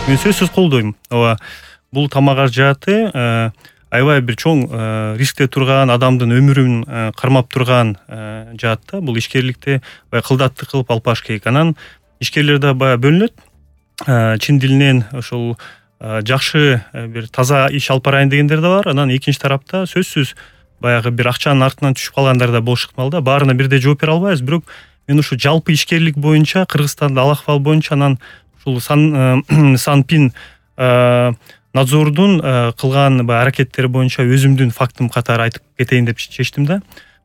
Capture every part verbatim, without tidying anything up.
Мен сөзсүз колдойм. Ооба, бул тамак каражаты аябай бир чоң рискте турган, адамдын өмүрүн кармап турган жаат да. Бул ишкерликте баягы кылдаттык кылып алып барыш керек. Анан ишкерлер да баягы бөлүнөт. Чын дилинен ошол жакшы бир таза иш алып барайын дегендер да бар. Анан экинчи тарапта сөзсүз баягы бир акчанын артынан түшүп калгандар да болуш ыктымал да. Баарына бирдей жооп бере албайбыз, бирок мен ушу жалпы ишкерлик боюнча, Кыргызстанда ал акыбал боюнча, анан ушул Санпин надзордун кылган баягы аракеттери боюнча өзүмдүн фактым катары айтып кетейин деп чечтим да.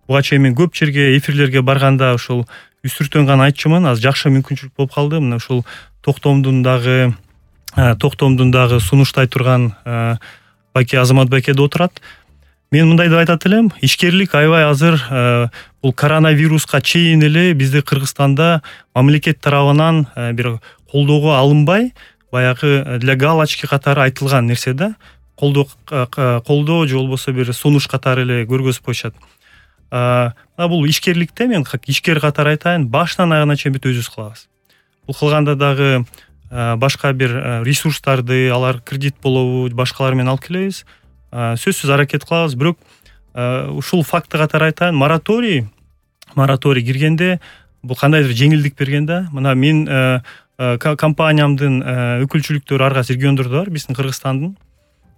Буга чейин мен көп жерге, эфирлерге барганда ушул үстүртөн гана айтчумун. Азыр жакшы мүмкүнчүлүк болуп калды. Мына ушул токтомдун дагы токтомдун дагы сунуштай турган Байке Азамат байке да отурат. Мен мындай деп айтат элем, ишкерлик аябай азыр бул коронавируска чейин эле бизде Кыргызстанда мамлекет тарабынан бир колдоого алынбай, баягы для галочки катары айтылган нерсе да. Колдоо колдоо же болбосо бир сунуш катары эле көргөзүп коюшат. Мына бул ишкерликте мен ишкер катары айтайын, башынан аягына чейин бүт өзүбүз кылабыз. Бул кылганда дагы башка бир ресурстарды, алар кредит болобу, башкалар менен алып келебиз. Сөзсүз аракет кылабыз, бирок ушул факты катары айтайын, мораторий мораторий киргенде бул кандайдыр жеңилдик берген да. Мына мен компаниямдын өкүлчүлүктөрү ар кайсы региондордо бар, биздин Кыргызстандын.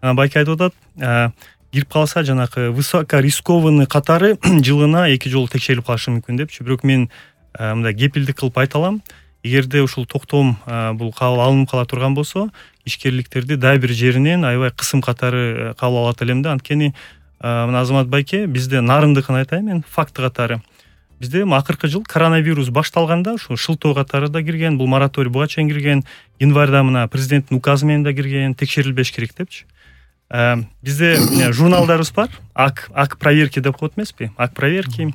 Байке айтып атат, кирип калса жанакы высокорискованный катары жылына эки жолу текшерилип калышы мүмкүн депчи. Бирок мен мындай кепилдик кылып айта алам. Эгерде ушул токтом бул кабыл алынып кала турган болсо, ишкерликтерди дагы бир жеринен аябай кысым катары кабыл алат элем да. Анткени мына Азамат байке, бизде нарындыкын айтайын мен, факты катары. Бизде акыркы жыл коронавирус башталганда ушул шылтоо катары да кирген, бул мораторий буга чейин кирген, январда мына президенттин указы менен да кирген, текшерилбеш керек депчи. Бизде журналдарыбыз бар, ак ак проверки деп коет эмеспи? Ак проверки.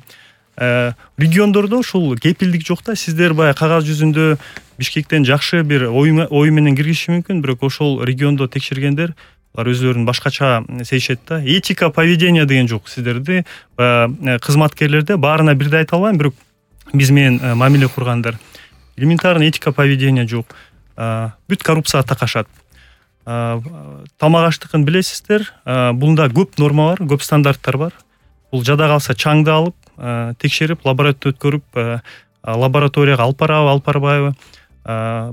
Региондордо ушул кепилдик жок да. Сиздер баягы кагаз жүзүндө Бишкектен жакшы бир ой менен киргизиши мүмкүн, бирок ошол региондо текшергендер алар өзлөрүн башкача сезишет да. Этика поведения деген жок сиздерде, кызматкерлерде, баарына бирдей айта албайм, бирок биз менен мамиле кургандар элементарный этика поведения жок. Бүт коррупцияга такашат. Тамак аштыкын билесиздер, бунда көп норма бар, көп стандарттар бар. Бул жада калса чаңды алып, текшерип, лаборатория өткөрүп, лабораторияга алып барабы, алып барбайбы.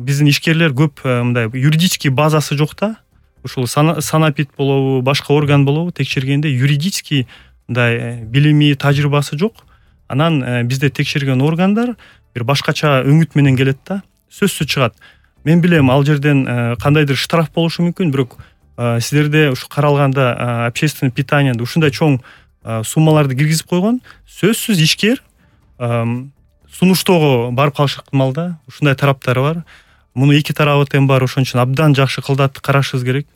Биздин ишкерлер көп мындай юридический базасы жок да. Ушул санапит болобу, башка орган болобу, текшергенде юридический мындай билими, тажрыйбасы жок. Анан бизде текшерген органдар бир башкача өңүт менен келет да. Сөзсүз чыгат. Мен билем, ал жерден кандайдыр штраф болушу мүмкүн, бирок сиздерде ушу каралганда общественное питаниеде ушундай чоң суммаларды киргизип койгон, сөзсүз ишкер сунуштоого барып калышы ыктымал да. Ушундай тараптары бар. Муну эки тарабы тең бар, ошон үчүн абдан жакшы кылдатты карашыбыз керек.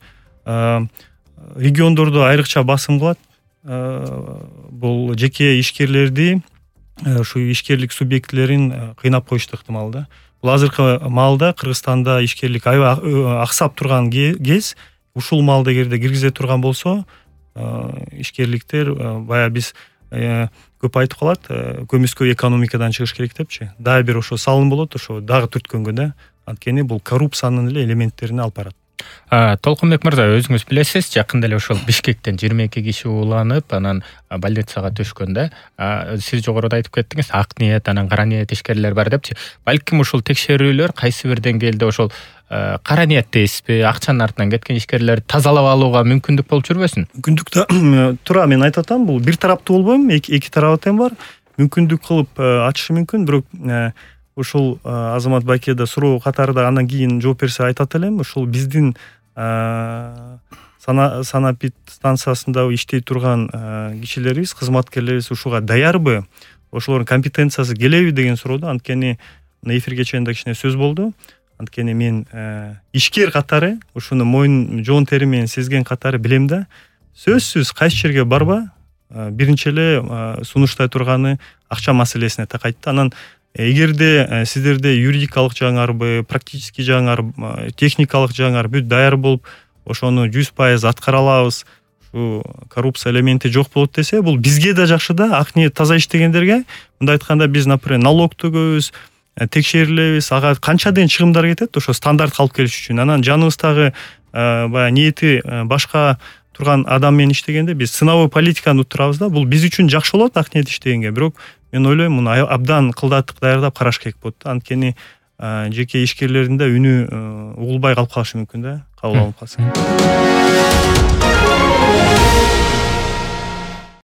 Региондордо айрыкча басым кылат. Бул жеке ишкерлерди, ушу ишкерлик субъектилерин кыйнап коюшту ыктымал да. Бул азыркы маалда Кыргызстанда ишкерлик аябай аксап турган кез. Ушул маалда эгерде киргизе турган болсо, ишкерликтер баягы биз көп айтып калат, көмүскө экономикадан чыгыш керек депчи. Дагы бир ошо салым болот, ошо дагы түрткөнгө да. Анткени бул коррупциянын эле элементтерине алып барат. Толкунбек мырза, өзүңүз билесиз, жакында эле ошол Бишкектен жыйырма эки киши ууланып, анан больницага түшкөн да. Сиз жогоруда айтып кеттиңиз, ак ниет, анан кара ниет ишкерлер бар депчи. Балким ушул текшерүүлөр кайсы бир деңгээлде ошол кара ниет дейсизби, акчанын артынан кеткен ишкерлерди тазалап алууга мүмкүндүк болуп жүрбөсүн? Мүмкүндүк да тура, мен айтып атам, бул бир тараптуу болбойм, эки тарабы тең бар. Мүмкүндүк кылып ачышы мүмкүн, бирок ушул Азамат байке да суроо катарында андан кийин жооп берсе айтат элем, ушул биздин санапит станциясында иштей турган кишилерибиз, кызматкерлерибиз ушуга даярбы, ошолордун компетенциясы келеби деген суроодо. Анткени эфирге чейин да кичине сөз болду. Анткени мен ишкер катары ушуну моюн жоон тери менен сезген катары билем да. Сөзсүз кайсы жерге барба, биринчи эле сунуштай турганы акча маселесине такайт да. Анан эгерде сиздерде юридикалык жагыңарбы, практический жагыңар, техникалык жагыңар бүт даяр болуп, ошону жүз пайыз аткара алабыз, ушу коррупция элементи жок болот десе, бул бизге да жакшы да, ак ниет таза иштегендерге. Мындай айтканда, биз, например, налог төгөбүз, текшерилебиз, ага канчаден чыгымдар кетет ошо стандартка алып келиш үчүн. Анан жаныбыздагы баягы ниети башка турган адам менен иштегенде биз сыновой политиканы утурабыз да, бул биз үчүн жакшы болот ак ниет иштегенге, бирок мен ойлойм муну абдан кылдаттык даярдап караш керек болот да. Анткени жеке ишкерлердин да үнү угулбай калып калышы мүмкүн да, кабыл алынып калса.